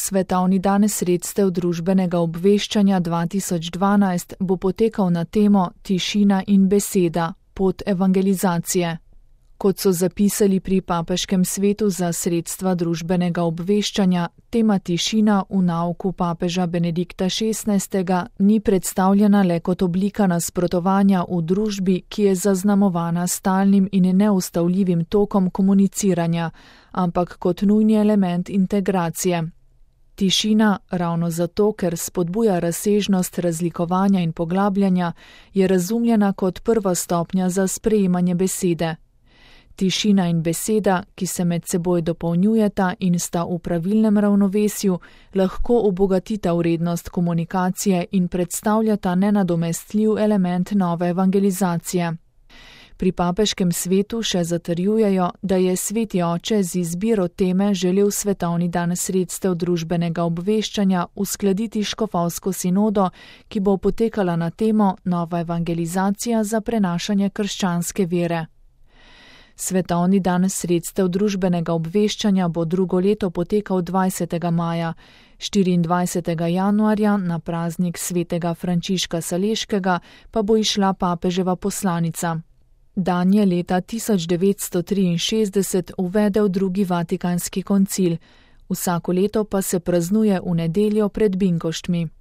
Svetovni dan sredstev družbenega obveščanja 2012 bo potekal na temo Tišina in beseda, pot evangelizacije. Kot so zapisali pri Papežkem svetu za sredstva družbenega obveščanja, tema tišina v nauku papeža Benedikta XVI. Ni predstavljena le kot oblika nasprotovanja v družbi, ki je zaznamovana stalnim in neustavljivim tokom komuniciranja, ampak kot nujni element integracije. Tišina, ravno zato, ker spodbuja razsežnost razlikovanja in poglabljanja, je razumljena kot prva stopnja za sprejemanje besede. Tišina in beseda, ki se med seboj dopolnjujeta in sta v pravilnem ravnovesju, lahko obogatita vrednost komunikacije in predstavljata nenadomestljiv element nove evangelizacije. Pri Papežkem svetu še zatrjujejo, da je Sveti oče z izbiro teme želel Svetovni dan sredstev družbenega obveščanja uskladiti škofovsko sinodo, ki bo potekala na temo Nova evangelizacija za prenašanje krščanske vere. Svetovni dan sredstev družbenega obveščanja bo drugo leto potekal 20. maja, 24. januarja na praznik svetega Frančiška Saleškega pa bo izšla papeževa poslanica. Dan je leta 1963 uvedel drugi Vatikanski koncil, vsako leto pa se praznuje v nedeljo pred Binkoštmi.